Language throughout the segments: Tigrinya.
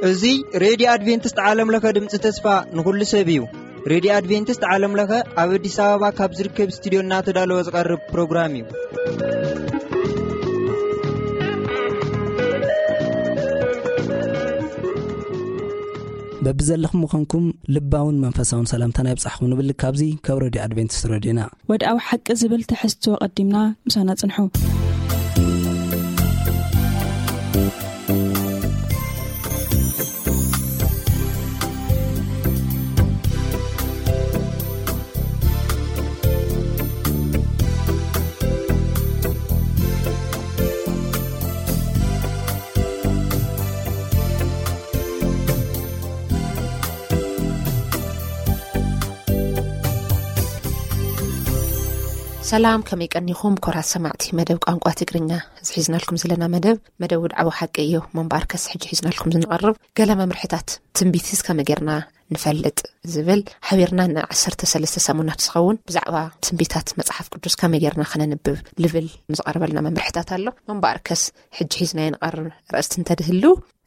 እዚ ሬድዮ ኣድቬንቲስት ዓለም ለኸ ድምፂ ተስፋ ንኹሉ ሰብ እዩ። ሬድዮ ኣድቬንቲስት ዓለም ለኸ ኣብ ኣዲስ ኣበባ ካብ ዝርከብ ስቱዲዮ እናተዳለወ ዝቐርብ ፕሮግራም እዩ። በብዘለኹም ምዃንኩም ልባውን መንፈሳውን ሰላምታና የብጻሕኹም ንብል ካብዚ ካብ ሬድዮ ኣድቬንቲስት ሬድዮና። ወድኣዊ ሓቂ ዝብል ትሕዝቶ ቀዲምና ምሳና ጽንሑ። ሰላም፣ ከመይ ቀኒኹም ክቡራት ሰማዕቲ መደብ ቋንቋ ትግርኛ? እዚ ሒዝናልኩም ዘለና መደብ፣ መደብ ውድዓዊ ሓቂ እዩ። እሞ እምበኣርከስ ሕጂ ሒዝናልኩም ዝንቐርብ ገለ መምርሕታት ትንቢትስ ከመይ ጌርና ንፈልጥ ዝብል፣ ሓቢርና ንዓሰርተ ሰለስተ ሰሙናት ዝኸውን ብዛዕባ ትንቢታት መጽሓፍ ቅዱስ ከመይ ጌርና ከነንብብ ልብል ዝቐርበልና መምርሕታት ኣሎ። እሞ እምበኣርከስ ሕጂ ሒዝናዮ ንቐርብ ርእስቲ እንተድህሉ፣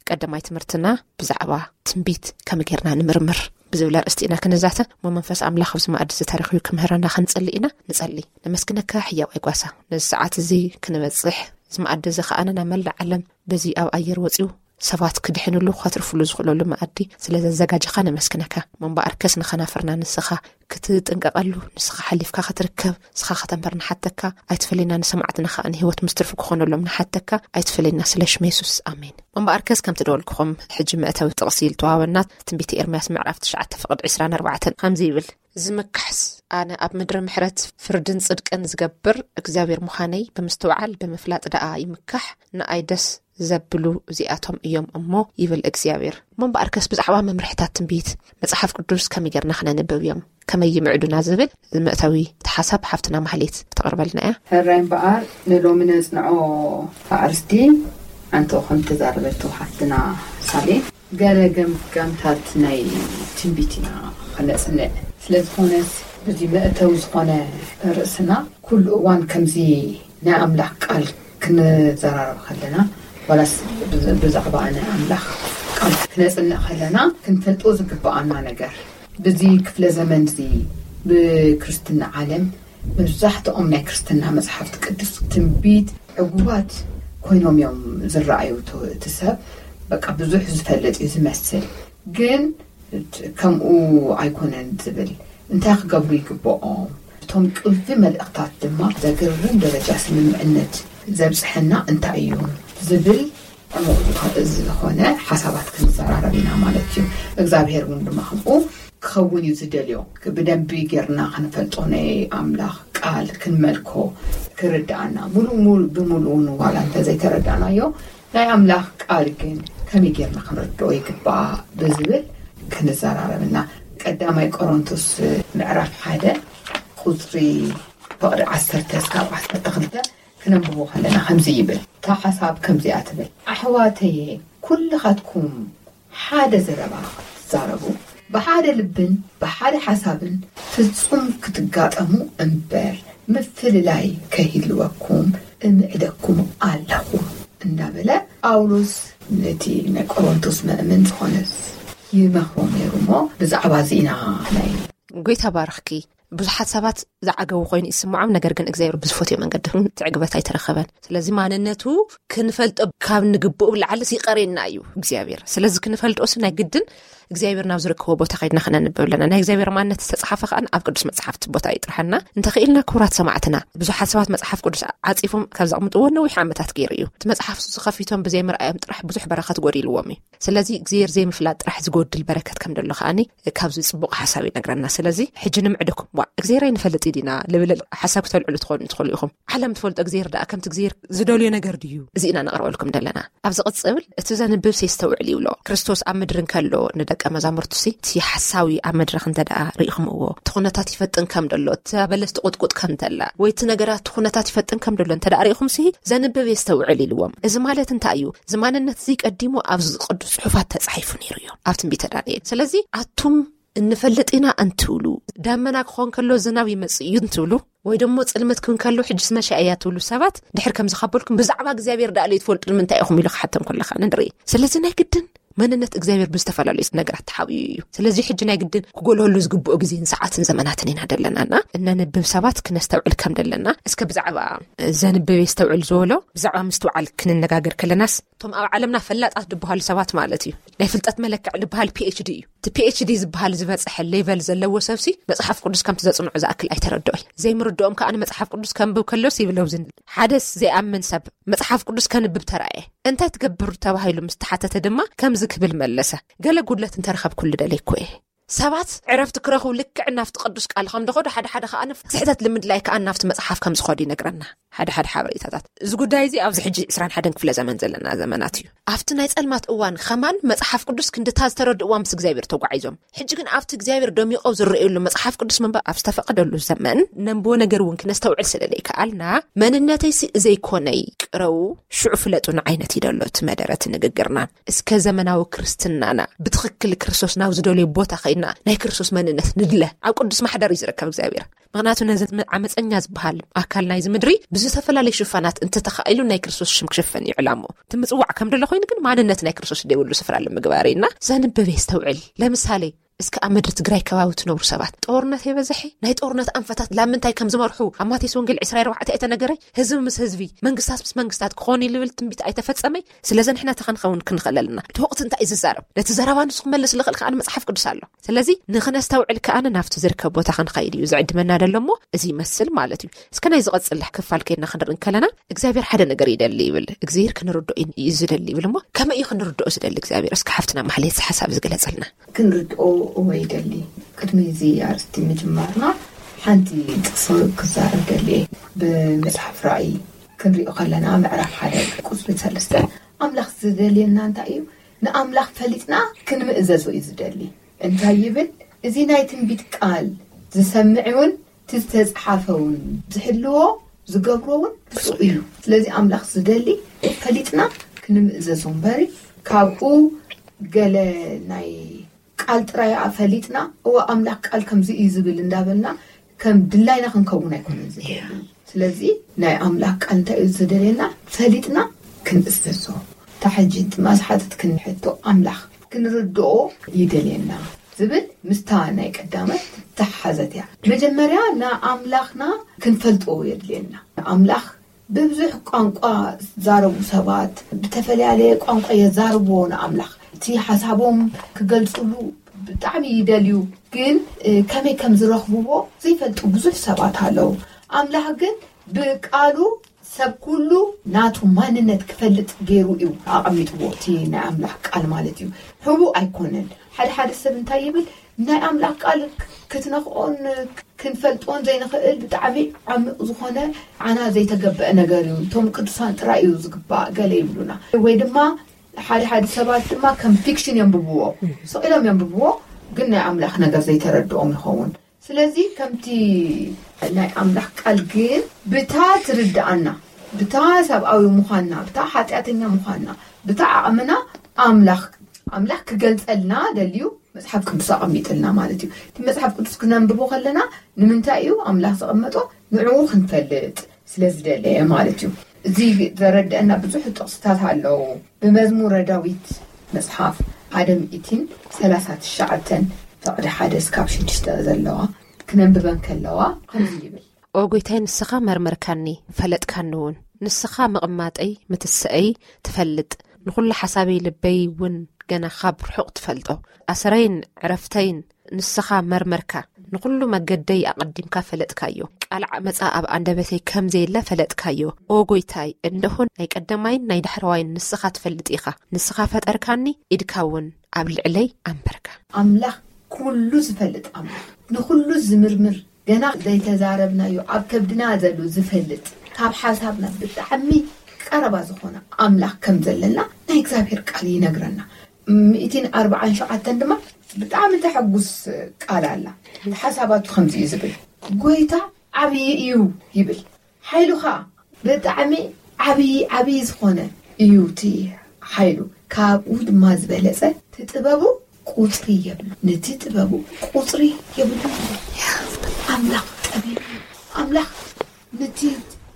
ቀዳማይ ትምህርትና ብዛዕባ ትንቢት ከመይ ጌርና ንምርምር ብዝብል ኣርእስቲ ኢና ክንዛተ። እሞ መንፈስ ኣምላኽ ኣብዚ መኣዲ እዚ ተረኺቡ ክምህረና ክንጽሊ ኢና። ንጸሊ። ነመስግነካ ሕያዋይ ጓሳ፣ ነዚ ሰዓት እዚ ክንበጽሕ፣ እዚ መኣዲ እዚ ከኣ ናብ መላእ ዓለም በዚ ኣብ ኣየር ወጺኡ ሰባት ክድሕንሉ፣ ከትርፍሉ ዝኽእለሉ መኣዲ ስለ ዘዘጋጀኻ ነመስግነካ። እሞ እምበኣርከስ ንኸናፍርና ንስኻ ክትጥንቀቐሉ፣ ንስኻ ሓሊፍካ ክትርከብ፣ ንስኻ ከተንበር ንሓተካ፣ ኣይትፈለየና። ንሰማዕትና ከኣ ንህይወት ምስ ትርፊ ክኾነሎም ንሓተካ፣ ኣይትፈለየና። ስለ ሽም የሱስ፣ ኣሜን። እምበኣርከስ ከምቲ ደወልኩኹም፣ ሕጂ መእተዊ ጥቕሲ ዝተዋህበና ትንቢት ኤርምያስ ምዕራፍ ትሽዓተ ፍቕዲ ዕስራን ኣርባዕተን ከምዚ ይብል፣ ዝምካሕስ ኣነ ኣብ ምድሪ ምሕረት ፍርድን ጽድቅን ዝገብር እግዚኣብሔር ምዃነይ ብምስትውዓል ብምፍላጥ ደኣ ይምካሕ፣ ንኣይ ደስ ዘብሉ እዚኣቶም እዮም እሞ ይብል እግዚኣብሔር። እሞ እምበኣርከስ ብዛዕባ መምርሕታት ትንቢት መጽሓፍ ቅዱስ ከመይ ጌርና ክነንብብ እዮም፣ ከመይ ይምዕዱና ዝብል መእተዊ እቲ ሓሳብ ሓፍትና ማህሌት ክተቕርበልና እያ። ሕራይ እምበኣር ንሎሚ ነጽንዖ ኣርእስቲ ኣንቶ ከም ተዛረበቶ ሓፍትና ሳሌ ገለ ገምጋምታት ናይ ትንቢት ኢና ክነጽንዕ። ስለ ዝኾነስ፣ በዚ መእተዊ ዝኾነ ርእስና፣ ኩሉ እዋን ከምዚ ናይ ኣምላኽ ቃል ክንዘራረብ ከለና፣ ዋላስ ብዝ-፣ ብዛዕባ ናይ ኣምላኽ ቃል ክነጽንዕ ከለና፣ ክንፈልጦ ዝግብኣና ነገር፣ በዚ ክፍለ ዘመን እዚ ብክርስትና ዓለም መብዛሕትኦም ናይ ክርስትና መጽሓፍቲ ቅዱስ ትንቢት ዕጉባት ኮይኖም እዮም ዝረኣዩ። እቲ፣ እቲ ሰብ በቃ ብዙሕ ዝፈልጥ እዩ ዝመስል፣ ግን ከምኡ ኣይኮነን ዝብል፣ እንታይ ክገብሩ ይግብኦም? እቶም ቁልፊ መልእኽታት ድማ ዘገርም ደረጃ ስምምዕነት ዘብጽሐና እንታይ እዩ ዝብል ዕሙቕ ዝኾ-፣ ዝኾነ ሓሳባት ክንዘራረብ ኢና ማለት እዩ። እግዚኣብሔር እውን ድማ ከምኡ ክኸውን እዩ ዝደልዮ። ብደንቢ ጌርና ክንፈልጦ ናይ ኣምላኽ ቃል ክንመልኮ ክርድኣና፣ ሙሉእ ሙሉ-፣ ብምሉኡ ንዋላ እንተዘይተረዳእናዮ፣ ናይ ኣምላኽ ቃል ግን ከመይ ጌርና ክንርድኦ ይግባእ ብዝብል ክንዘራረብ ኢና። ቀዳማይ ቆሮንቶስ ምዕራፍ ሓደ ቁጽሪ ፍቕዲ ዓሰርተ እስካብ ዓሰርተ ክልተ ክነንብቦ ከለና ከምዚ ይብል። እታ ሓሳብ ከምዚኣ ትብል፣ ኣሕዋተየ፣ ኩልኻትኩም ሓደ ዘረባ ክትዛረቡ፣ ብሓደ ልብን ብሓደ ሓሳብን ፍጹም ክትጋጠሙ እምበር፣ ምፍልላይ ከይህልወኩም እምዕደኩም ኣለኹ እንዳበለ ጳውሎስ ነቲ ናይ ቆሮንቶስ መእመን ዝኾነስ ይመኽሮ ነይሩ። እሞ ብዛዕባ እዚ ኢና ናይ ጎይታ ባርኽኪ። ብዙሓት ሰባት ዝዓገቡ ኮይኑ ይስምዖም፣ ነገር ግን እግዚኣብሔር ብዝፈትዮ መንገዲ እውን እቲ ዕግበት ኣይተረኸበን። ስለዚ ማንነቱ ክንፈልጦ ካብ ንግብኡ ብላዕሊ ይቐሬና እዩ እግዚኣብሔር። ስለዚ ክንፈልጦ ሲ ናይ ግድን እግዚኣብሔር ናብ ዝርከቦ ቦታ ከይድና ክነንብብ ኣለና። ናይ እግዚኣብሔር ማንነት ዝተጻሓፈ ከኣ ኣብ ቅዱስ መጽሓፍቲ ቦታ ይጥርሓና። እንተኽኢልና ክቡራት ሰማዕትና፣ ብዙሓት ሰባት መጽሓፍ ቅዱስ ዓጺፎም ካብ ዘቕምጥዎ ነዊሕ ዓመታት ገይሩ እዩ። እቲ መጽሓፍ ንሱ ከፊቶም ብዘይምርኣዮም ጥራሕ ብዙሕ በረኸት ጎዲልዎም እዩ። ስለዚ እግዚኣብሔር ዘይምፍላጥ ጥራሕ ዝጎድል በረከት ከም ደሎ ከኣኒ ካብዚ ጽቡቕ ሓሳብ ይነግረና። ስለዚ ሕጂ ንምዕደኩም፣ ዋ፣ እግዚኣብሔር ኣይንፈልጥ ዲና ልብል ሓሳብ ክተልዕሉ ትኾኑ ትኽእሉ ኢኹም። ዓለም ትፈልጦ እግዚኣብሔር ደኣ ከምቲ እግዚኣብሔር ዝደልዮ ነገር ድዩ? እዚ ኢና ነቕርበልኩም ዘለና። ኣብ ዝቕጽል እቲ ዘንብብ ሲ የስተውዕል ይብሎ። ክርስቶስ ኣብ ምድሪ እንከሎ ንደቀ መዛሙርቱ ሲ እቲ ሓሳዊ ኣብ መድረኽ እንተ ደኣ ርኢኹምዎ፣ እቲ ኩነታት ይፈጥን ከም ደሎ፣ እታ በለስ ትቑጥቁጥ ከም ተላ፣ ወይ እቲ ነገራት እቲ ኩነታት ይፈጥን ከም ደሎ እንተ ደኣ ርኢኹም ሲ ዘንብብ የስተውዕል ኢልዎም። እዚ ማለት እንታይ እዩ? እዚ ማንነት እዚ ቀዲሙ ኣብ ቅዱስ ጽሑፋት ተጻሒፉ ነይሩ እዩ፣ ኣብ ትንቢተ ዳንኤል። ስለዚ ኣቱም እንፈልጥ ኢና እንትብሉ፣ ዳመና ክኾን ከሎ ዝናብ ይመጽእ እዩ እንትብሉ፣ ወይ ደሞ ጽልመት ክን ከሎ ሕጅስ መሻ እያ ትብሉ ሰባት፣ ድሕር ከም ዝኻበልኩም ብዛዕባ እግዚኣብሔር ደኣ ለይትፈልጡ ንምንታይ ኢኹም ኢሉ ክሓተን ከሎ ከኣ ንርኢ። ስለዚ ናይ ግድን መንነት እግዚኣብሔር ብዝተፈላለዩ ነገራት ተሓብዩ እዩ። ስለዚ ሕጂ ናይ ግድን ክጎልህሉ ዝግብኦ ግዜን ሰዓትን ዘመናትን ኢና ደለናና። እነንብብ ሰባት ክነስተውዕል ከም ደለና፣ እስከ ብዛዕባ ዘንብብ የስተውዕል ዝበሎ፣ ብዛዕባ ምስትውዓል ክንነጋገር ከለናስ፣ እቶም ኣብ ዓለምና ፈላጣት ዝበሃሉ ሰባት ማለት እዩ። ናይ ፍልጠት መለክዕ ዝበሃል ፒ ኤች ዲ እዩ። እቲ ፒ ኤች ዲ ዝበሃል ዝበጽሐ ሌቨል ዘለዎ ሰብሲ መጽሓፍ ቅዱስ ከምቲ ዘጽንዑ ዝኣክል ኣይተረድኦይ። ዘይምርድኦም ከኣ ንመጽሓፍ ቅዱስ ከንብብ ከሎስ ይብለው ዝን ሓደስ ዘይኣምን ሰብ መጽሓፍ ቅዱስ ከንብብ ተራእየ። እንታይ ትገብር ተባሂሉ ምስ ተሓተተ ድማ ከምዚ ክብል መለሰ፣ ገለ ጉድለት እንተረኸብኩሉ ደለይኩ እየ። ሰባት ዕረፍቲ ክረኽቡ ልክዕ ናብቲ ቅዱስ ቃል ከም ደኸዱ፣ ሓደ ሓደ ከኣ ስሕተት ልምድላይ ከኣ ናብቲ መጽሓፍ ከም ዝኾዱ ይነግረና። ሓደ ሓደ ሓበሬታታት፣ እዚ ጉዳይ እዚ ኣብዚ ሕጂ ዕስራን ሓደን ክፍለ ዘመን ዘለና ዘመናት እዩ። ኣብቲ ናይ ጸልማት እዋን ኸማን መጽሓፍ ቅዱስ ክንድታ ዝተረድእዋ ምስ እግዚኣብሔር ተጓዒዞም፣ ሕጂ ግን ኣብቲ እግዚኣብሔር ደሚቖ ዝረእየሉ መጽሓፍ ቅዱስ ምንባብ ኣብ ዝተፈቐደሉ ዘመን፣ ነንብቦ ነገር እውን ክነስተውዕል ስለ ዘይከኣልና፣ መንነተይሲ እዘይኮነይ ቅረው ሽዑ ፍለጡ ንዓይነት እዩ ደሎ እቲ መደረ እቲ ንግግርና። እስከ ዘመናዊ ክርስትናና ብትኽክል ክርስቶስ ናብ ዝደልዮ ቦታ ኸይድና ናይ ክርስቶስ መንነት ንድለ። ኣብ ቅዱስ ማሕደር እዩ ዝርከብ እግዚኣብሔር። ምኽንያቱ ነዚ ዓመፀኛ ዝበሃል ኣካል ናይዚ ምድሪ ብዝተፈላለዩ ሽፋናት እንተተኻኢሉ ናይ ክርስቶስ ሽም ክሽፈን እዩ ዕላምኡ። እቲ ምጽዋዕ ከም ደሎ ኮይኑ ግን ማንነት ናይ ክርስቶስ ደይብሉ ስፍራ ንምግባር ኢና። ዘንብብ የስተውዕል። ለምሳሌ እስከ ኣብ ምድሪ ትግራይ ከባቢ ትነብሩ ሰባት ጦርነት የበዝሐ። ናይ ጦርነት ኣንፈታት ላምንታይ ከም ዝመርሑ ኣብ ማቴዎስ ወንጌል ዕስራ ኣርባዕተ ኣይተነገረይ? ህዝቢ ምስ ህዝቢ፣ መንግስታት ምስ መንግስታት ክኾኑ እዩ ልብል ትንቢት ኣይተፈጸመይ? ስለዚ ንሕና ተኸንኸውን ክንኽእል ኣለና። እቲ ወቕቲ እንታይ እዩ ዝዛረብ? ነቲ ዘረባ ንሱ ክመልስ ዝኽእል ከኣ መጽሓፍ ቅዱስ ኣሎ። ስለዚ ንኽነስተውዕል ከኣ ናብቲ ዝርከብ ቦታ ክንኸይድ እዩ ዝዕድመና ደሎ እሞ እዚ ይመስል ማለት እዩ። እስከ ናይ ዝቐጽል ክፋል ከይድና ክንርኢ እንከለና እግዚኣብሔር ሓደ ነገር ይደሊ ይብል። እግዚኣብሔር ክንርድኦ እዩ ዝደሊ ይብል እሞ ከመይ እዩ ክንርድኦ ዝደሊ እግዚኣብሔር? እስከ ሓፍትና ማሕሌት እዚ ሓሳብ ዝግለጸልና። ክንርድኦ እወ ይደሊ። ቅድሚ እዚ ኣርእስቲ ምጅማርና ሓንቲ ጥቕሲ ክዛረብ ደሊ እየ። ብመጽሓፍ ራእይ ክንሪኦ ከለና ምዕራፍ ሓደ ቁጽሪ ሰለስተ ኣምላኽ ዝደልየና እንታይ እዩ? ንኣምላኽ ፈሊጥና ክንምእዘዞ እዩ ዝደሊ። እንታይ ይብል? እዚ ናይ ትንቢት ቃል ዝሰምዕ እውን እቲ ዝተጽሓፈ እውን ዝሕልዎ ዝገብሮ እውን ብፁዕ እዩ። ስለዚ ኣምላኽ ዝደሊ ፈሊጥና ክንምእዘዞ እምበሪ ካብኡ ገለ ናይ ቃል ጥራይ ፈሊጥና እወ ኣምላኽ ቃል ከምዚ እዩ ዝብል እንዳበልና ከም ድላይና ክንከውን ኣይኮነን ዝደሊ። ስለዚ ናይ ኣምላኽ ቃል እንታይ እዩ ዝደልየና? ፈሊጥና ክንእዘዞ። እታ ሕጂ ድማ ዝሓተትክኒ ሕቶ ኣምላኽ ክንርድኦ ይደልየና ዝብል ምስታ ናይ ቀዳመት ተሓዘት እያ። መጀመርያ ንኣምላኽና ክንፈልጥዎ የድልየና። ኣምላኽ ብብዙሕ ቋንቋ ዝዛረቡ ሰባት ብተፈላለየ ቋንቋ የዛርብዎ ንኣምላኽ። እቲ ሓሳቦም ክገልጽሉ ብጣዕሚ ይደልዩ፣ ግን ከመይ ከም ዝረኽብዎ ዘይፈልጡ ብዙሕ ሰባት ኣለዉ። ኣምላኽ ግን ብቃሉ ሰብ ኩሉ ናቱ ማንነት ክፈልጥ ገይሩ እዩ ኣቐሚጥዎ። እቲ ናይ ኣምላኽ ቃል ማለት እዩ፣ ህቡእ ኣይኮነን። ሓደ ሓደ ሰብ እንታይ ይብል? ናይ ኣምላኽ ቃል ክትነኽኦን ክንፈልጦን ዘይንኽእል ብጣዕሚ ዓሚቕ ዝኾነ ዓና ዘይተገበአ ነገር እዩ፣ እቶም ቅዱሳን ጥራይ እዩ ዝግባእ ገለ ይብሉና። ወይ ድማ ሓደ ሓደ ሰባት ድማ ከም ፊክሽን የንብብዎ፣ ስቕ ኢሎም የንብብዎ፣ ግን ናይ ኣምላኽ ነገር ዘይተረድኦም ይኸውን። ስለዚ ከምቲ ናይ ኣምላኽ ቃል ግን ብታ ትርድኣና፣ ብታ ሰብኣዊ ምዃንና፣ ብታ ሓጢኣተኛ ምዃንና፣ ብታ ዓቕምና ኣምላኽ ኣምላኽ ክገልጸልና ደልዩ መጽሓፍ ቅዱስ ኣቐሚጥልና ማለት እዩ። እቲ መጽሓፍ ቅዱስ ክነንብቦ ከለና ንምንታይ እዩ ኣምላኽ ዘቐመጦ? ንዕኡ ክንፈልጥ ስለ ዝደለየ ማለት እዩ። እዚ ዘረድአና ብዙሕ ጥቕስታት ኣለዉ። ብመዝሙረ ዳዊት መጽሓፍ ሓደ ሚእትን ሰላሳ ትሽዓተን ፍቕዲ ሓደ እስካብ ሽዱሽተ ዘለዋ ክነንብበን ከለዋ ከምዚ ይብል። ኦ ጎይታይ ንስኻ መርመርካኒ ፈለጥካኒ እውን። ንስኻ ምቕማጠይ ምትስአይ ትፈልጥ። ንኹሉ ሓሳበይ ልበይ እውን ገና ካብ ርሑቕ ትፈልጦ። ኣሰረይን ዕረፍተይን ንስኻ መርመርካ። ንኹሉ መገደይ ኣቐዲምካ ፈለጥካዮ። ቃል ዓመጻ ኣብ ኣንደበተይ ከም ዘየለ ፈለጥካዮ። ኦ ጎይታይ፣ እንደሆን ናይ ቀደማይን ናይ ዳሕረዋይን ንስኻ ትፈልጥ ኢኻ። ንስኻ ፈጠርካኒ፣ ኢድካ እውን ኣብ ልዕለይ ኣንበርካ። ኣምላኽ ኩሉ ዝፈልጥ ኣምላኽ፣ ንኹሉ ዝምርምር፣ ገና ዘይተዛረብናዮ ኣብ ከብድና ዘሎ ዝፈልጥ፣ ካብ ሓሳብና ብጣዕሚ ቀረባ ዝኾነ ኣምላኽ ከም ዘለና ናይ እግዚኣብሔር ቃል ይነግረና። ሚእትን ኣርባዓን ሸውዓተን ድማ ብጣዕሚ ተሐጉስ ቃል ኣላ። ሓሳባቱ ከምዚ እዩ ዝብል፣ ጎይታ ዓብዪ እዩ ይብል፣ ሓይሉ ኸዓ ብጣዕሚ ዓብዪ ዓብዪ ዝኾነ እዩ እቲ ሓይሉ፣ ካብኡ ድማ ዝበለጸ እቲ ጥበቡ ቁፅሪ የብሉ። ነቲ ጥበቡ ቁፅሪ የብሉ። ኣምላኽ ጠቢብ እዩ። ኣምላኽ ነቲ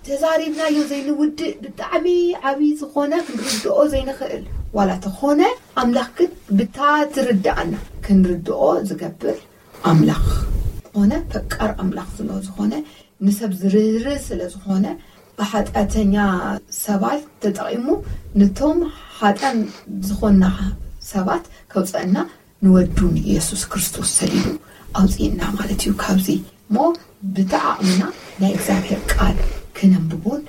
ተዛሪብናዮ ዘይንውድእ ብጣዕሚ ዓብዪ ዝኾነ ክንርድኦ ዘይንኽእል ዋላ ተኾነ ኣምላኽ ግን ብታ ትርድኣና ክንርድኦ ዝገብር ኣምላኽ ዝኾነ ፈቃር ኣምላኽ ስለ ዝኾነ ንሰብ ዝርህርህ ስለ ዝኾነ ብሓጢኣተኛ ሰባት ተጠቒሙ ነቶም ሓጢኣን ዝኾንና ሰባት ከውፀአና ንወዱ ንኢየሱስ ክርስቶስ ሰዲዱ ኣውፅእና ማለት እዩ። ካብዚ እሞ ብተዓቕምና ናይ እግዚኣብሔር ቃል ክነንብቦን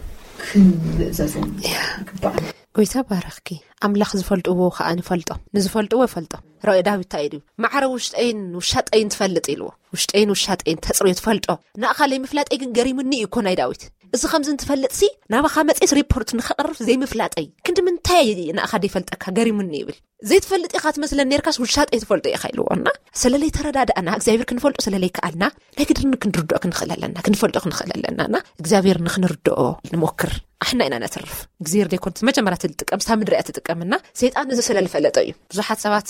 ክንምእዘዞን ይግባእ። ጎይታ ባረኽኪ። ኣምላኽ ዝፈልጥዎ ከዓ ንፈልጦ፣ ንዝፈልጥዎ ይፈልጦ። ራእይ ዳዊት እንታይ ኢሉ? ማዕረ ውሽጠይን ውሻጠይን ትፈልጥ ኢልዎ። ውሽጠይን ውሻጠይን ተፅርዮ ትፈልጦ። ንኣኻ ለይምፍላጠይ ግን ገሪሙኒ እዩ እኮ ናይ ዳዊት። እዚ ከምዚ እንትፈልጥሲ ናባኻ መፅስ ሪፖርት ንኸቕርብ ዘይምፍላጠይ ክንዲ ምንታይ ንኣኻ ደይፈልጠካ ገሪሙኒ ይብል። ዘይትፈልጥ ኢኻ ትመስለን ነርካስ ውሻጠይ ትፈልጦ ኢኻ ኢልዎ። እና ስለለይ ተረዳዳእና እግዚኣብሔር ክንፈልጦ ስለለይ ከኣልና ናይ ግድን ክንርድኦ ክንኽእል ኣለና፣ ክንፈልጦ ክንኽእል ኣለና። እና እግዚኣብሔር ንክንርድኦ ንሞክር። ኣሕና ኢና ነትርፍ። እግዚኣብሔር ዘይኮን መጀመርያ ትጥቀም ስታ ምድሪ እያ ትጥቀምና። ሰይጣን እዚ ስለ ዝፈለጠ እዩ። ብዙሓት ሰባት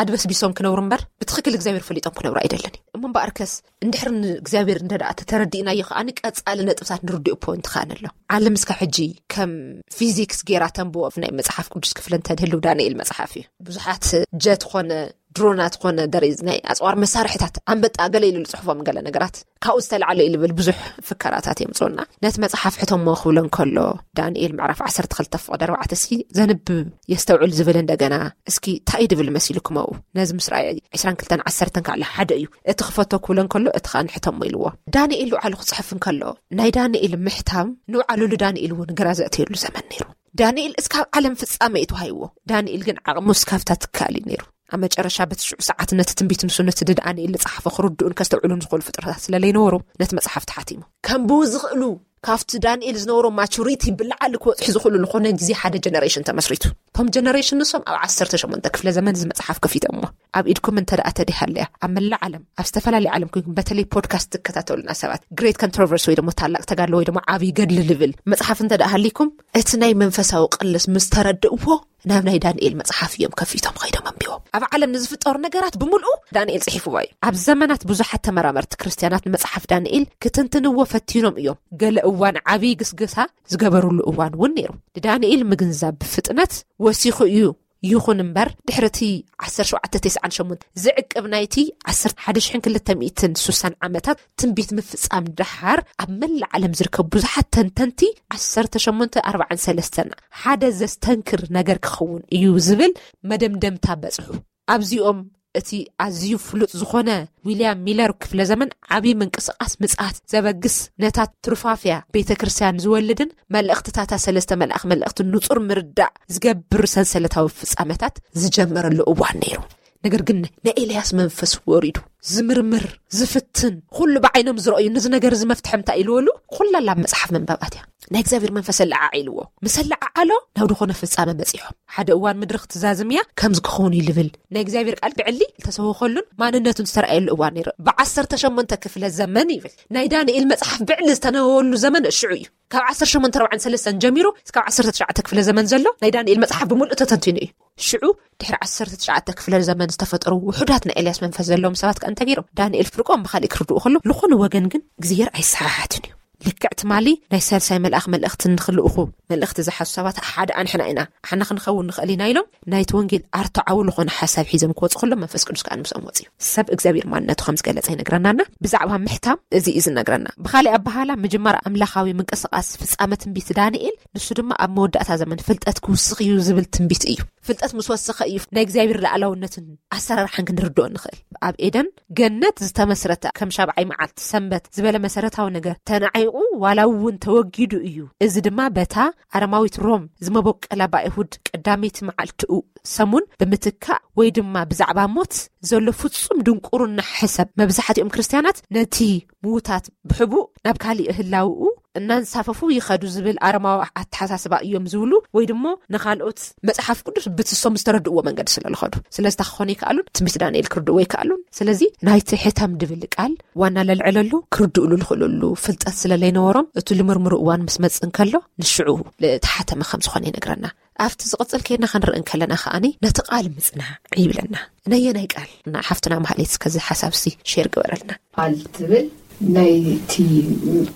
ኣድበስቢሶም ክነብሩ እምበር ብትኽክል እግዚኣብሔር ፈሊጦም ክነብሩ ኣይደልን እዩ። እሞ እምበኣርከስ እንድሕር ንእግዚኣብሔር እንተ ደኣ ተተረዲእናዮ ከኣ ቀጻሊ ነጥብታት ንርድኡ ፖይንት ከኣ ኣሎ። ዓለም እስካ ሕጂ ከም ፊዚክስ ጌራ ተንብቦ ናይ መጽሓፍ ቅዱስ ክፍሊ እንተድህልው ዳንኤል መጽሓፍ እዩ። ብዙሓት ጀት ኾነ ድሮናት ኾነ ደሬዝ ናይ ኣጽዋር መሳርሕታት ኣንበጣ ገለ ኢሉ ዝጽሕፎም ገለ ነገራት ካብኡ ዝተላዕለ እዩ ልብል ብዙሕ ፍከራታት የምጽኡና። ነቲ መጽሓፍ ሕተሞ ክብሎ እንከሎ ዳንኤል ምዕራፍ ዓሰርተ ክልተ ፍቕዲ ኣርባዕተ እስኪ ዘንብብ የስተውዕል ዝብል እንደገና እስኪ እንታይ እዩ ድብል መሲልኩም ኣብኡ ነዚ ምስ ረኣየ ዕስራን ክልተን ዓሰርተን ካዕለ ሓደ እዩ እቲ ክፈቶ ክብሎ እንከሎ እቲ ከዓ ንሕተሞ ኢልዎ። ዳንኤል ንባዕሉ ክጽሕፍ እንከሎ ናይ ዳንኤል ምሕታም ንባዕሉ ንዳንኤል እውን ግራ ዘእተየሉ ዘመን ነይሩ። ዳንኤል እስካብ ዓለም ፍጻመ እዩ ተዋሂብዎ። ዳንኤል ግን ዓቕሙ እስካብታ ትካል እዩ ነይሩ። ኣብ መጨረሻ በቲ ሽዑ ሰዓት ነቲ ትንቢት ንሱ ነቲ ድዳንኤል ዝጸሓፎ ክርድኡን ከስተውዕሉን ዝኽእሉ ፍጥረታት ስለለይነበሩ ነቲ መጽሓፍ ተሓቲሙ። ከንብቡ ዝኽእሉ ካብቲ ዳንኤል ዝነበሮ ማቹሪቲ ብላዕሊ ክበጽሑ ዝኽእሉ ዝኾነ ግዜ ሓደ ጀነሬሽን ተመስሪቱ። እቶም ጀነሬሽን ንሶም ኣብ ዓሰርተ ሸሞንተ ክፍለ ዘመን እዚ መጽሓፍ ከፊቶሞ ኣብ ኢድኩም እንተ ደኣ ተዲሃለያ ኣብ መላእ ዓለም ኣብ ዝተፈላለየ ዓለም ኮይንኩም በተለይ ፖድካስት ትከታተሉና ሰባት ግሬት ኮንትሮቨርሲ ወይ ደሞ ታላቅ ተጋድሎ ወይ ደሞ ዓብዪ ገድሊ ልብል መጽሓፍ እንተ ደኣ ሃሊኩም እቲ ናይ መንፈሳዊ ቅልስ ምስ ተረድእዎ ናብ ናይ ዳንኤል መጽሓፍ እዮም ከፊቶም ኸይዶም ኣንቢቦም። ኣብ ዓለም ንዝፍጠሩ ነገራት ብምልኡ ዳንኤል ጽሒፍዋ እዩ። ኣብ ዘመናት ብዙሓት ተመራመርቲ ክርስትያናት ንመጽሓፍ ዳንኤል ክትንትንዎ ፈቲኖም እዮም። ገለ እዋን ዓብዪ ግስግሳ ዝገበሩሉ እዋን እውን ነይሩ። ንዳንኤል ምግንዛብ ብፍጥነት ወሲኹ እዩ። ይኹን እምበር ድሕሪ እቲ ዓሰርተ ሸውዓተ ተስዓን ሸሞንተ ዝዕቅብ ናይቲ ዓሰርተ ሓደ ሽሕን ክልተ ሚእትን ስሳን ዓመታት ትንቢት ምፍጻም ደሓር ኣብ መላእ ዓለም ዝርከቡ ብዙሓት ተንተንቲ ዓሰርተ ሸሞንተ ኣርባዓን ሰለስተን ሓደ ዘስተንክር ነገር ክኸውን እዩ ዝብል መደምደምታ በጽሑ። ኣብዚኦም እቲ ኣዝዩ ፍሉጥ ዝኾነ ዊልያም ሚለር ክፍለ ዘመን ዓብዪ ምንቅስቓስ ምጽኣት ዘበግስ ነታ ትሩፋፍያ ቤተ ክርስቲያን ዝወልድን መልእኽትታታ ሰለስተ መልኣኽ መልእኽቲ ንጹር ምርዳእ ዝገብር ሰንሰለታዊ ፍጻመታት ዝጀመረሉ እዋን ነይሩ። ነገር ግን ናይ ኤልያስ መንፈስ ወሪዱ ዝምርምር ዝፍትን ኩሉ ብዓይኖም ዝረኣዩ ነዚ ነገር እዚ መፍትሒ እንታይ ኢልወሉ ኩላላ መጽሓፍ መንባባት እያ። ናይ እግዚኣብሔር መንፈስ ኣለዓዒልዎ ምስ ኣለዓዓሎ ናብ ዝኾነ ፍጻመ በጺሖም ሓደ እዋን ምድሪ ክትዛዝም እያ ከምዚ ክኸውን እዩ ልብል ናይ እግዚኣብሔር ቃል ብዕሊ ዝተሰወኸሉን ማንነቱን ዝተረኣየሉ እዋን ነይሩ። ብዓሰርተ ሸሞንተ ክፍለ ዘመን ይብል ናይ ዳንኤል መጽሓፍ ብዕሊ ዝተነበወሉ ዘመን ሽዑ እዩ። ካብ ዓሰርተ ሸሞንተ ኣርባዓን ሰለስተን ጀሚሩ እስካብ ዓሰርተ ትሽዓተ ክፍለ ዘመን ዘሎ ናይ ዳንኤል መጽሓፍ ብምልኡ ተተንቲኑ እዩ። ሽዑ ድሕሪ ዓሰርተ ትሽዓተ ክፍለ ዘመን ዝተፈጠሩ ውሑዳት ናይ ኤልያስ መንፈስ ዘለዎም ሰባት ከኣ እንተገይሮም ዳንኤል ፍርቆም ብኻሊእ ክርድኡ ከሎ ዝኾነ ወገን ግን እግዚኣብሔር ኣይሰሓሓትን እዩ። ልክዕ ትማሊ ናይ ሳልሳይ መልኣኽ መልእኽቲ ንኽልእኹ መልእኽቲ ዝሓዙ ሰባት ሓደ ኣንሕና ኢና ኣሕና ክንኸውን ንኽእል ኢና ኢሎም ናይቲ ወንጌል ኣርትዓዊ ዝኾነ ሓሳብ ሒዞም ክወፁ ከሎ መንፈስ ቅዱስ ከኣ ንምስኦም ወፅዩ ሰብ እግዚኣብሔር ማንነቱ ከም ዝገለፀ ይነግረናና። ብዛዕባ ምሕታም እዚ እዩ ዝነግረና። ብኻሊእ ኣበሃላ ምጅማር ኣምላኻዊ ምንቅስቃስ ፍጻመ ትንቢት ዳንኤል ንሱ ድማ ኣብ መወዳእታ ዘመን ፍልጠት ክውስኽ እዩ ዝብል ትንቢት እዩ። ፍልጠት ምስ ወሰኸ እዩ ናይ እግዚኣብሔር ላዕላውነትን ኣሰራርሓን ክንርድኦ ንኽእል። ኣብ ኤደን ገነት ዝተመስረተ ከም ሻብዓይ መዓልቲ ሰንበት ዝበለ መሰረታዊ ነገር ተናዒቑ ዋላ እውን ተወጊዱ እዩ። እዚ ድማ በታ ኣረማዊት ሮም ዝመበቀላ ብኣይሁድ ቀዳመይቲ መዓልትኡ ሰሙን ብምትካእ ወይ ድማ ብዛዕባ ሞት ዘሎ ፍጹም ድንቁርና ሕሰብ መብዛሕትኦም ክርስትያናት ነቲ ምዉታት ብሕቡእ ናብ ካሊእ ህላውኡ እናንሳፈፉ ይኸዱ ዝብል ኣረማዊ ኣተሓሳስባ እዮም ዝብሉ፣ ወይ ድማ ንኻልኦት መጽሓፍ ቅዱስ ብትሶም ዝተረድእዎ መንገዲ ስለ ዝኸዱ። ስለዚ ክኾኑ ይከኣሉን ትንቢት ዳንኤል ክርድእዎ ይከኣሉን። ስለዚ ናይቲ ሕተም ድብል ቃል ዋና ለልዕለሉ ክርድእሉ ዝኽእልሉ ፍልጠት ስለ ዘይነበሮም፣ እቲ ልምርምሩ እዋን ምስ መጽእ እንከሎ ንሽዑ ዝተሓተመ ከም ዝኾነ ይነግረና። ኣብቲ ዝቕጽል ከይና ክንርኢ እንከለና ከኣኒ ነቲ ቃል ምጽናዕ ይብለና። ነየናይ ቃል? እና ሓፍትና ማህሌት እስከዚ ሓሳብ ሲ ሼር ግበረልና። ቃል ትብል ናይ እቲ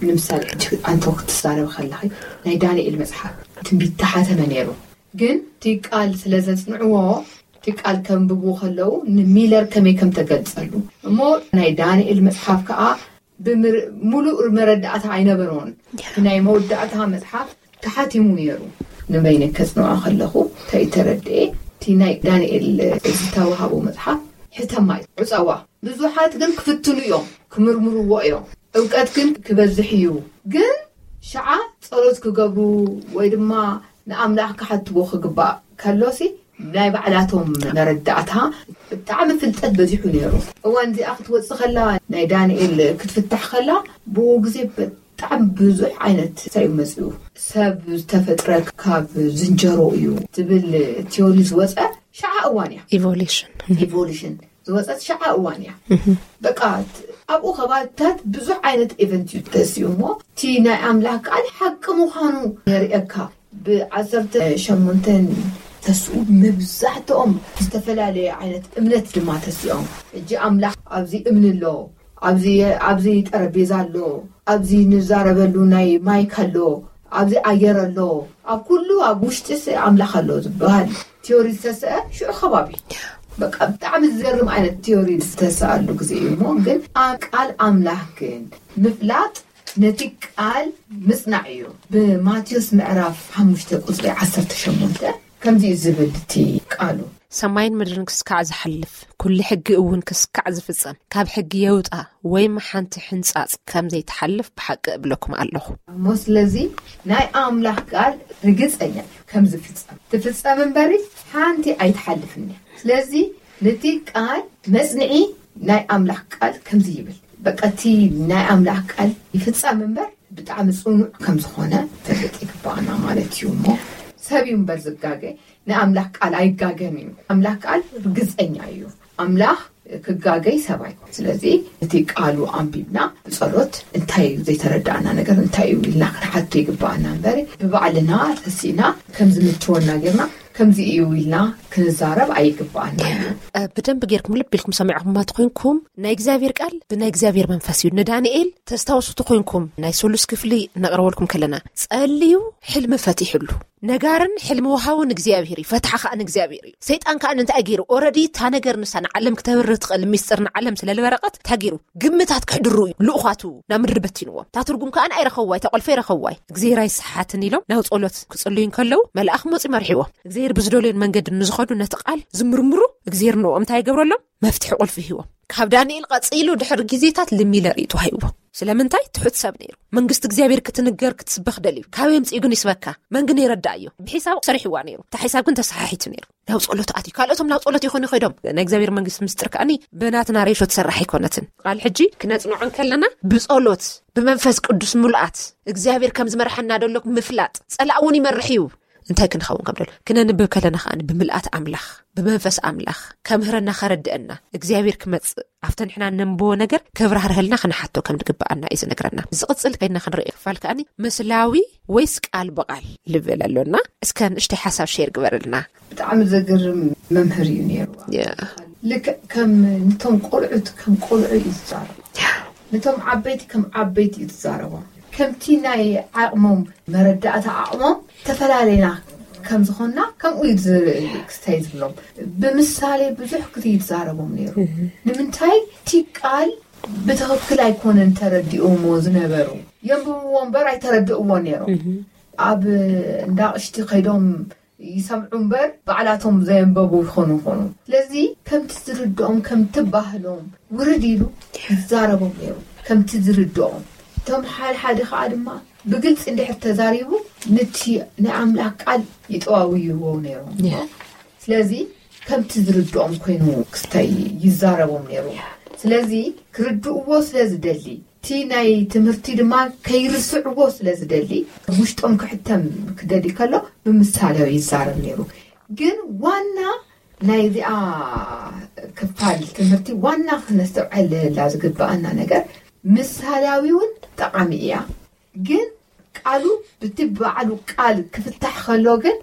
ንምሳሌ ሕጂ ኣንተ ክትዛረብ ከለኺ ናይ ዳንኤል መጽሓፍ ትንቢት ተሓተመ ነይሩ። ግን እቲ ቃል ስለ ዘጽንዕዎ እቲ ቃል ከንብቡ ከለዉ ንሚለር ከመይ ከም ተገልጸሉ እሞ ናይ ዳንኤል መጽሓፍ ከኣ ብምር-፣ ሙሉእ መረዳእታ ኣይነበሮን። እቲ ናይ መወዳእታ መጽሓፍ ተሓቲሙ ነይሩ። ንበይነ ከጽንዖ ከለኹ እንታይ ተረድኤ፣ እቲ ናይ ዳንኤል ዝተዋሃቦ መጽሓፍ ሕተማ እዩ፣ ዕጸዋ። ብዙሓት ግን ክፍትኑ እዮም፣ ክምርምርዎ እዮም። እውቀት ግን ክበዝሕ እዩ። ግን ሸዓ ጸሎት ክገብሩ ወይ ድማ ንኣምላኽ ክሓትዎ ክግባእ ከሎሲ ናይ ባዕላቶም መረዳእታ ብጣዕሚ ፍልጠት በዚሑ ነይሩ። እዋን እዚኣ ክትወጽእ ከላ ናይ ዳንኤል ክትፍታሕ ከላ ብኡ ግዜ ብጣዕሚ ብዙሕ ዓይነት እንታይ እዩ መጺኡ። ሰብ ዝተፈጥረ ካብ ዝንጀሮ እዩ ዝብል ቲዮሪ ዝወጸ ሸዓ እዋን እያ። ኢቮሉሽን ኢቮሉሽን ዝወፀት ሸዓ እዋን እያ። በቃ ኣብኡ ከባብታት ብዙሕ ዓይነት ኤቨንት እዩ ተሲኡ እሞ እቲ ናይ ኣምላኽ ቃል ሓቂ ምዃኑ የርእየካ። ብዓሰርተ ሸሞንተን ተስኡ መብዛሕትኦም ዝተፈላለየ ዓይነት እምነት ድማ ተሲኦም። ሕጂ ኣምላኽ ኣብዚ እምኒ ኣሎ፣ ኣብዚ ኣብዚ ጠረጴዛ ኣሎ፣ ኣብዚ ንዛረበሉ ናይ ማይክ ኣሎ፣ ኣብዚ ኣየር ኣሎ፣ ኣብ ኩሉ ኣብ ውሽጢ ኣምላኽ ኣሎ ዝበሃል ቲዮሪ ዝተሰአ ሽዑ ከባቢ በቃ ብጣዕሚ ዝገርም ዓይነት ቲዮሪ ዝተሰኣሉ ግዜ እዩ እሞ ግን ቃል ኣምላኽ ግን ምፍላጥ ነቲ ቃል ምጽናዕ እዩ። ብማቴዎስ ምዕራፍ ሓሙሽተ ቁጽሪ ዓሰርተ ሸሞንተ ከምዚ እዩ ዝብል እቲ ቃሉ። ሰማይን ምድርን ክስካዕ ዝሓልፍ፣ ኩሉ ሕጊ እውን ክስካዕ ዝፍጸም፣ ካብ ሕጊ የውጣ ወይም ሓንቲ ሕንጻጽ ከም ዘይትሓልፍ ብሓቂ እብለኩም ኣለኹ። እሞ ስለዚ ናይ ኣምላኽ ቃል ርግጸኛ እዩ ከም ዝፍጸም። ትፍጸም እምበሪ ሓንቲ ኣይትሓልፍን እያ። ስለዚ ነቲ ቃል መጽንዒ ናይ ኣምላኽ ቃል ከምዚ ይብል። በቃ እቲ ናይ ኣምላኽ ቃል ይፍጸም እምበር ብጣዕሚ ጽኑዕ ከም ዝኾነ ተፈልጥ ይግባኣና ማለት እዩ። እሞ ሰብ እዩ እምበር ዝጋገ ንኣምላኽ ቃል ኣይጋገን እዩ። ኣምላኽ ቃል ርግጸኛ እዩ። ኣምላኽ ክጋገይ ሰብ ኣይኮን። ስለዚ እቲ ቃሉ ኣንቢብና ብጸሎት እንታይ እዩ ዘይተረዳእና ነገር እንታይ እዩ ኢልና ክንሓቶ ይግባኣና እምበር ብባዕልና ተሲእና ከም ዝምችወና ጌርና ከምዚ እዩ ኢልና ክንዛረብ ኣይግባኣና እዩ። ብደንብ ጌርኩም ልብ ኢልኩም ሰሚዕኩማ ተኾይንኩም ናይ እግዚኣብሔር ቃል ብናይ እግዚኣብሔር መንፈስ እዩ። ንዳንኤል ተስታውሱ ተኾይንኩም ናይ ሰሉስ ክፍሊ ነቕረበልኩም ከለና ጸልዩ ሕልሚ ፈቲሕሉ። ነጋርን ሕልሚ ወሃውን እግዚኣብሔር እዩ፣ ፈትሓ ከኣ ንእግዚኣብሔር እዩ። ሰይጣን ከኣ እንታይ ገይሩ? ኦረዲ እታ ነገር ንሳ ንዓለም ክተብርህ ትኽእል ሚስጥር ንዓለም ስለ ዝበረቐት እንታይ ገይሩ? ግምታት ክሕድሩ እዩ ልኡኻቱ ናብ ምድሪ በቲንዎም። እታ ትርጉም ከኣ ኣይረኸብዋይ፣ እታ ቆልፈ ኣይረኸብዋይ። እግዚኣብሔር ኣይስሓትን ኢሎም ናብ ጸሎት ክጽልዩ እንከለዉ መልኣኽ መጺኡ መርሒዎም። እግዚኣብሔር ብዝደልዮን መንገዲ ንዝኸዱ ነቲ ቃል ዝምርምሩ እግዚኣብሔር ንኦም እንታይ ይገብረሎም? መፍትሒ ቁልፊ ሂቦም። ካብ ዳንኤል ቀጺሉ ድሕሪ ግዜታት ልሚለር እዩ ተዋሂብዎ። ስለምንታይ? ትሑት ሰብ ነይሩ። መንግስቲ እግዚኣብሔር ክትንገር ክትስበኽ ደልዩ። ካበይ ኣምጺኡ ግን ይስበካ? መን ግን ይረዳእዮ? ብሒሳብ ሰሪሕዋ ነይሩ። እታ ሒሳብ ግን ተሰሓሒቱ ነይሩ። ናብ ጸሎት ኣትዩ። ካልኦቶም ናብ ጸሎት ይኾኑ ይኸዶም። ናይ እግዚኣብሔር መንግስቲ ምስጢር ከኣኒ ብናትና ሬሾ ትሰራሕ ኣይኮነትን። ቃል ሕጂ ክነጽንዖ እንከለና ብጸሎት ብመንፈስ ቅዱስ ምሉኣት እግዚኣብሔር ከም ዝመርሐና ደሎ ምፍላጥ። ጸላእ እውን ይመርሕ እዩ። እንታይ ክንኸውን ከም ደሎ ክነንብብ ከለና ከኣ ብምልኣት ኣምላኽ ብመንፈስ ኣምላኽ ከምህረና ከረድአና እግዚኣብሔር ክመጽእ ኣብቲ ንሕና ነንብቦ ነገር ከብራህርሀልና ክንሓቶ ከም ዝግብኣና እዩ ዝነግረና። ዝቕጽል ከይድና ክንርኢ ክፋል ከኣኒ ምስላዊ ወይስ ቃል ብቓል ልብል ኣሎና። እስከ ንእሽተይ ሓሳብ ሼር ግበርልና። ብጣዕሚ ዘገርም መምህር እዩ ነይሩ። ልክዕ ከም ንቶም ቆልዑት ከም ቆልዑ እዩ ዝዛረቡ። ነቶም ዓበይቲ ከም ዓበይቲ እዩ ዝዛረቦም። ከምቲ ናይ ዓቕሞም መረዳእታ ዓቕሞም ዝተፈላለየና ከም ዝኾንና ከምኡ እዩ ክስታይ ዝብሎም። ብምሳሌ ብዙሕ ግዜ ይዛረቦም ነይሩ። ንምንታይ እቲ ቃል ብትኽክል ኣይኮነን ተረዲኦሞ ዝነበሩ። የንብብዎ እምበር ኣይተረድእዎ ነይሮም። ኣብ እንዳቕሽቲ ከይዶም ይሰምዑ እምበር ባዕላቶም ዘየንበቡ ይኾኑ ይኾኑ። ስለዚ ከምቲ ዝርድኦም ከምቲ ባህሎም ውርድ ኢሉ ይዛረቦም ነይሩ ከምቲ ዝርድኦም። እቶም ሓደ ሓደ ከዓ ድማ ብግልፂ እንድሕር ተዛሪቡ ነቲ ናይ ኣምላኽ ቃል ይጠዋውይዎ ነይሮም። ስለዚ ከምቲ ዝርድኦም ኮይኑ ክስታይ ይዛረቦም ነይሩ። ስለዚ ክርድእዎ ስለ ዝደሊ እቲ ናይ ትምህርቲ ድማ ከይርስዕዎ ስለ ዝደሊ ውሽጦም ክሕተም ክደሊ ከሎ ብምሳሌ ይዛረብ ነይሩ። ግን ዋና ናይዚኣ ክፋል ትምህርቲ ዋና ክነስተውዐለላ ዝግብኣና ነገር ምሳሌያዊ እውን ጠቓሚ እያ። ግን ቃሉ ብቲ በዓሉ ቃል ክፍታሕ ከሎ ግን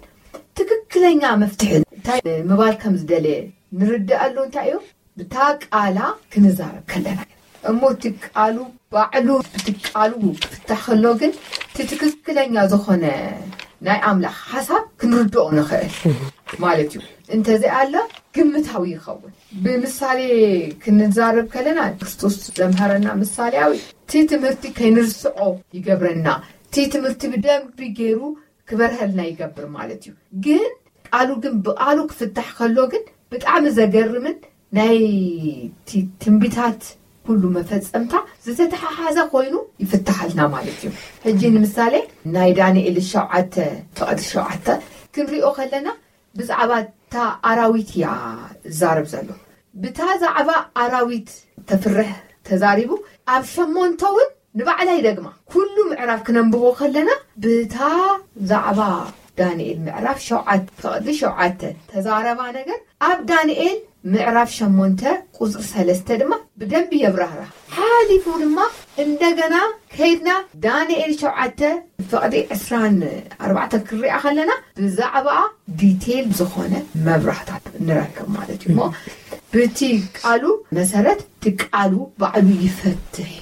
ትክክለኛ መፍትሒ እንታይ ምባል ከም ዝደለየ ንርድኣሉ እንታይ እዩ? ብታ ቃላ ክንዛረብ ከለና እሞ እቲ ቃሉ ባዕሉ እቲ ቃሉ ክፍታሕ ከሎ ግን እቲ ትክክለኛ ዝኾነ ናይ ኣምላኽ ሓሳብ ክንርድኦ ንኽእል ማለት እዩ። እንተዘይኣለ ግምታዊ ይኸውን። ብምሳሌ ክንዛረብ ከለና ክርስቶስ ዘምሃረና ምሳሌያዊ እቲ ትምህርቲ ከይንርስዖ ይገብረና። እቲ ትምህርቲ ብደንቢ ገይሩ ክበርሀልና ይገብር ማለት እዩ። ግን ቃሉ ግን ብቃሉ ክፍታሕ ከሎ ግን ብጣዕሚ ዘገርምን ናይ ትንቢታት ኩሉ መፈጸምታ ዝተተሓሓዘ ኮይኑ ይፍታሓልና ማለት እዩ። ሕጂ ንምሳሌ ናይ ዳንኤል ሸውዓተ ፍቕዲ ሸውዓተ ክንሪኦ ከለና ብዛዕባ እታ ኣራዊት እያ ዝዛረብ ዘሎ። ብታ ዛዕባ ኣራዊት ተፍርሕ ተዛሪቡ ኣብ ሸሞንተ እውን ንባዕላ ይደግማ። ኩሉ ምዕራፍ ክነንብቦ ከለና ብታ ዛዕባ ዳንኤል ምዕራፍ ሸውዓተ ፍቕዲ ሸውዓተ ተዛረባ ነገር ኣብ ዳንኤል ምዕራፍ ሸሞንተ ቁፅሪ ሰለስተ ድማ ብደንቢ የብራህራ። ሓሊፉ ድማ እንደገና ከይድና ዳንኤል ሸውዓተ ፍቕዲ ዕስራን ኣርባዕተ ክንሪኣ ከለና ብዛዕባ ዲቴል ዝኾነ መብራህታት ንረክብ ማለት እዩ። እሞ ብቲ ቃሉ መሰረት እቲ ቃሉ ባዕሉ ይፈትሕ።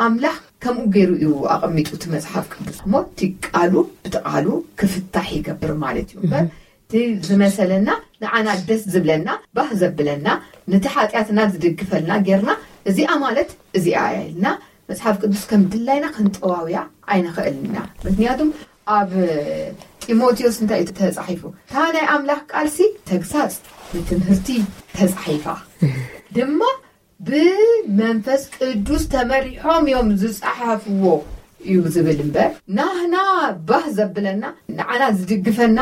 ኣምላኽ ከምኡ ገይሩ እዩ ኣቐሚጡ እቲ መጽሓፍ ቅዱስ። እሞ እቲ ቃሉ ብቲ ቃሉ ክፍታሕ ይገብር ማለት እዩ። እምበር እቲ ዝመሰለና ንዓና ደስ ዝብለና ባህ ዘብለና ነቲ ሓጢኣትና ዝድግፈልና ጌርና እዚኣ ማለት እዚኣ እያ ኢልና መጽሓፍ ቅዱስ ከም ድላይና ክንጠዋውያ ኣይንኽእልን ኢና። ምክንያቱም ኣብ ጢሞቴዎስ እንታይ እዩ ተጻሒፉ? እታ ናይ ኣምላኽ ቃልሲ ተግሳጽ፣ ንትምህርቲ ተጻሒፋ ድማ ብመንፈስ ቅዱስ ተመሪሖም እዮም ዝጸሓፍዎ እዩ ዝብል እምበር ናህና ባህ ዘብለና ንዓና ዝድግፈና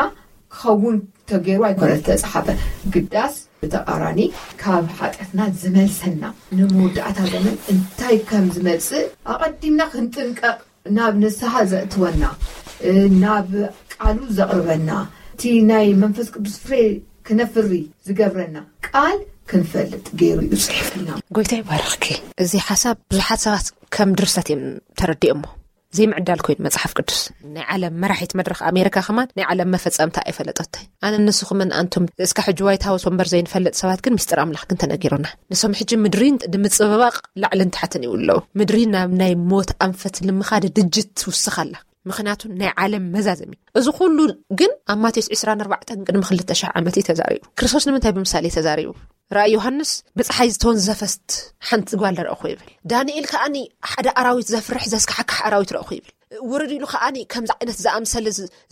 ክኸውን ተገይሩ ኣይኮነ ዝተጻሓፈ። ግዳስ ብተቓራኒ ካብ ሓጢኣትና ዝመልሰና ንመወዳእታ ዘመን እንታይ ከም ዝመጽእ ኣቐዲምና ክንጥንቀቕ ናብ ንስሓ ዘእትወና ናብ ቃሉ ዘቕርበና እቲ ናይ መንፈስ ቅዱስ ፍሬ ክነፍሪ ዝገብረና ቃል ክንፈልጥ ገይሩ እዩ ጽሒፍና። ጎይታ ይባርኽኪ። እዚ ሓሳብ ብዙሓት ሰባት ከም ድርሰት እዮም ተረዲኦሞ። ዘይምዕዳል ኮይኑ መጽሓፍ ቅዱስ ናይ ዓለም መራሒት መድረኽ ኣሜሪካ ከማን ናይ ዓለም መፈጸምታ ኣይፈለጠቶይ። ኣነ ንስኹምን ኣንቱም እስካ ሕጂ ዋይት ሃውስ ወንበር ዘይንፈልጥ ሰባት ግን ምስጢር ኣምላኽ ግን ተነጊሩና። ንሶም ሕጂ ምድሪን ንምጽብባቕ ላዕልን ታሕትን ይውለዉ። ምድሪ ናብ ናይ ሞት ኣንፈት ንምኻድ ድጅት ትውስኽ ኣላ። ምኽንያቱ ናይ ዓለም መዛዘሚ እዚ ኩሉ ግን ኣብ ማቴዎስ ዕስራን ኣርባዕተን ቅድሚ ክልተ ሽሕ ዓመት እዩ ተዛሪቡ። ክርስቶስ ንምንታይ ብምሳሌ ተዛሪቡ? ራእይ ዮሃንስ ብፀሓይ ዝተወንዘፈት ሓንቲ ጓል ረእኹ ይብል። ዳንኤል ከኣኒ ሓደ ኣራዊት ዘፍርሕ ዘስካሕካሕ ኣራዊት ረእኹ ይብል። ውርድ ኢሉ ከኣኒ ከምዚ ዓይነት ዝኣምሰለ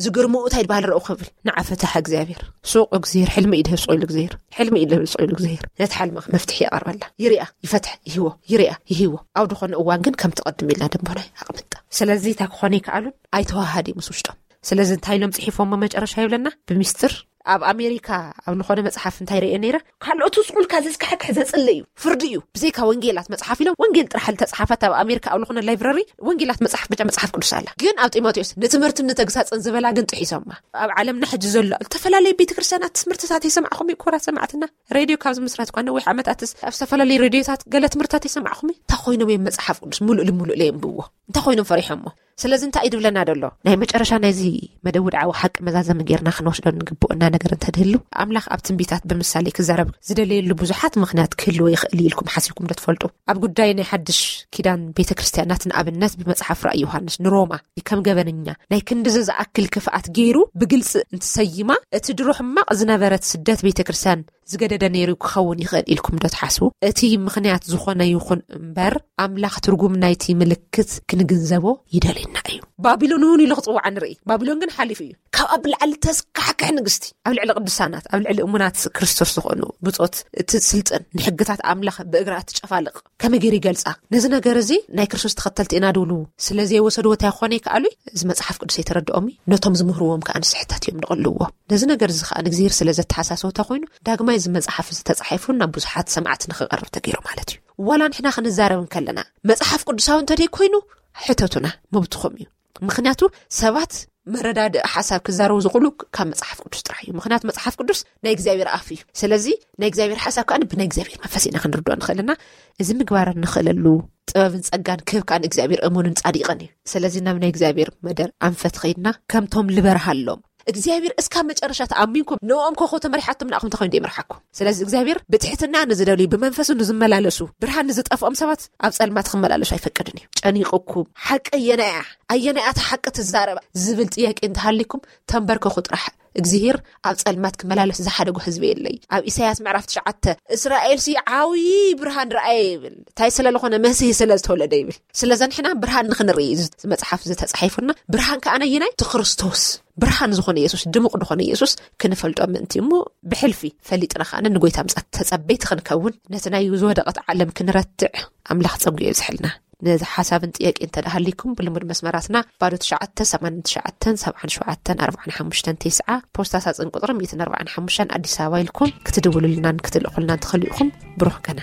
ዝግርምኡ እንታይ ድባሃል ረእኹ ይብል። ንዓ ፈታሒ እግዚኣብሔር ሱቕ እግዚኣብሔር ሕልሚ እዩ ድህብ ስቕ ኢሉ እግዚኣብሔር ሕልሚ እዩ ድህብ ስቕ ኢሉ እግዚኣብሔር ነቲ ሓልሚ መፍትሒ የቐርበላ። ይርኣ ይፈትሕ ይህቦ ይርኣ ይህቦ ኣብ ዝኾነ እዋን ግን ከም ትቐድም ኢልና ደንቦና ኣቕምጣ። ስለዚ እንታይ ክኾነ ይከኣሉን ኣይተዋሃድ እዩ ምስ ውሽጦም። ስለዚ እንታይ ኢሎም ፅሒፎሞ መጨረሻ ይብለና ብሚስጥር ኣብ ኣሜሪካ ኣብ ዝኾነ መፅሓፍ እንታይ ርአ ነይረ ካልኦቱ ስቑልካ ዘስካሕክሕ ዘፅሊ እዩ ፍርዲ እዩ ብዘይካ ወንጌላት መፅሓፍ ኢሎም ወንጌል ጥራሕ ዝተፅሓፈት ኣብ ኣሜሪካ ኣብ ዝኾነ ላይብረሪ ወንጌላት መፅሓፍ ብጫ መፅሓፍ ቅዱስ ኣላ። ግን ኣብ ጢሞቴዎስ ንትምህርትን ንተግሳፅን ዝበላ ግን ጥሒሶማ። ኣብ ዓለምና ሕጂ ዘሎ ዝተፈላለዩ ቤተክርስትያናት ትምህርትታት የሰማዕኹም እዩ ክቡራት ሰማዕትና። ሬድዮ ካብ ዝምስረት እኳ ነዊሕ ዓመታት ኣብ ዝተፈላለዩ ሬድዮታት ገለ ትምህርትታት የሰማዕኹም እዩ። እንታይ ኮይኖም እዮም መፅሓፍ ቅዱስ ሙሉእ ልሙሉእ ለየንብዎ እንታይ ኮይኖም ፈሪሖሞ? ስለዚ እንታይ እዩ ድብለና ደሎ? ናይ መጨረሻ ናይዚ መደብ ውድዓዊ ሓቂ መዛዘሚ ጌርና ክንወስዶ እንግብኦና ነገር እንተድህሉ ኣምላኽ ኣብ ትንቢታት ብምሳሌ ክዛረብ ዝደለየሉ ብዙሓት ምኽንያት ክህልዎ ይኽእል እዩ ኢልኩም ሓሲብኩም ዶ ትፈልጡ? ኣብ ጉዳይ ናይ ሓድሽ ኪዳን ቤተ ክርስትያናት ንኣብነት ብመጽሓፍ ራእይ ዮሃንስ ንሮማ ከም ገበነኛ ናይ ክንድዚ ዝኣክል ክፍኣት ገይሩ ብግልፂ እንትሰይማ እቲ ድሮ ሕማቕ ዝነበረት ስደት ቤተ ክርስትያን ዝገደደ ነይሩ ክኸውን ይኽእል ኢልኩም ዶ ትሓስቡ? እቲ ምኽንያት ዝኾነ ይኹን እምበር ኣምላኽ ትርጉም ናይቲ ምልክት ክንግንዘቦ ይደልዩ። ኢና እዩ። ባቢሎን እውን ኢሉ ክፅውዓ ንርኢ። ባቢሎን ግን ሓሊፉ እዩ። ካብ ኣብ ላዕሊ ተስካሕክሕ ንግስቲ ኣብ ልዕሊ ቅዱሳናት፣ ኣብ ልዕሊ እሙናት ክርስቶስ ዝኾኑ ብጾት እቲ ስልጥን ንሕግታት ኣምላኽ ብእግራ እትጨፋልቕ ከመይ ገይሩ ይገልጻ? ነዚ ነገር እዚ ናይ ክርስቶስ ተኸተልቲ ኢና ድብሉ ስለ ዘይወሰድዎ እንታይ ክኾነ ይከኣሉ? እዚ መጽሓፍ ቅዱስ ኣይተረድኦም እዩ። ነቶም ዝምህርዎም ከኣ ንስሕታት እዮም ዝቐልዎ። ነዚ ነገር እዚ ከኣ ንእግዚኣብሔር ስለ ዘተሓሳሰቦ እንታይ ኮይኑ ዳግማይ እዚ መጽሓፍ እዚ ተጻሒፉ ናብ ብዙሓት ሰማዕቲ ንኽቐርብ ተገይሩ ማለት እዩ። ዋላ ንሕና ክንዛረብ እንከለና መጽሓፍ ቅዱሳዊ እንተደይ ኮይኑ ሕተቱና፣ መብትኹም እዩ። ምክንያቱ ሰባት መረዳድእ ሓሳብ ክዛረቡ ዝኽእሉ ካብ መጽሓፍ ቅዱስ ጥራሕ እዩ። ምክንያቱ መጽሓፍ ቅዱስ ናይ እግዚኣብሔር ኣፍ እዩ። ስለዚ ናይ እግዚኣብሔር ሓሳብ ከዓ ብናይ እግዚኣብሔር መንፈስ ኢና ክንርድኦ ንኽእልና፣ እዚ ምግባር እንኽእለሉ ጥበብን ጸጋን ክህብ ከዓ ንእግዚኣብሔር እሙንን ጻዲቕን እዩ። ስለዚ ናብ ናይ እግዚኣብሔር መደር ኣንፈት ኸይድና ከምቶም ልበርሃሎም እግዚኣብሔር እስካብ መጨረሻ ተኣሚንኩም ንኦም ኮኾ ተመሪሓቶም ንኣኹም ተኾይኑ ይምርሓኩም። ስለዚ እግዚኣብሔር ብትሕትና ንዝደልዩ ብመንፈሱ ንዝመላለሱ ብርሃን ንዝጠፍኦም ሰባት ኣብ ጸልማት ክመላለሱ ኣይፈቅድን እዩ። ጨኒቕኩም ሓቂ ኣየናያ ኣየናያ እታ ሓቂ ትዛረባ ዝብል ጥያቄ እንተሃሊኩም ተንበርከኹ ጥራሕ። እግዚኣብሔር ኣብ ጸልማት ክመላለስ ዝሓደጎ ህዝቢ የለይ። ኣብ ኢሳያስ ምዕራፍ ትሽዓተ እስራኤል ሲ ዓብዪ ብርሃን ረኣየ ይብል። እንታይ ስለ ዝኾነ መሲህ ስለ ዝተወለደ ይብል። ስለዚ ንሕና ብርሃን ንኽንርኢ እዩ እዚ መጽሓፍ ዝተጻሒፉና። ብርሃን ከኣ ነየናይ እቲ ክርስቶስ ብርሃን ዝኾነ የሱስ ድሙቕ ዝኾነ የሱስ ክንፈልጦ ምእንቲ እሞ ብሕልፊ ፈሊጥና ከኣ ንጎይታ ምጻት ተጸበይቲ ክንከውን ነቲ ናይ ዝወደቐት ዓለም ክንረትዕ ኣምላኽ ጸጉ የብዝሕልና። ነዚ ሓሳብን ጥያቄ እንተ ደሃሊኩም ብልሙድ መስመራትና ባዶ ትሽዓተ ሰማንያን ትሽዓተን ሰብዓን ሸውዓተን ኣርባዓን ሓሙሽተን ተስዓ ፖስታ ሳጽን ቁጽሪ ሚእትን ኣርባዓን ሓሙሽተን ኣዲስ ኣበባ ኢልኩም ክትድውሉልናን ክትልእኹልናን ትኽእሉ ኢኹም። ብሩኽ ቀና።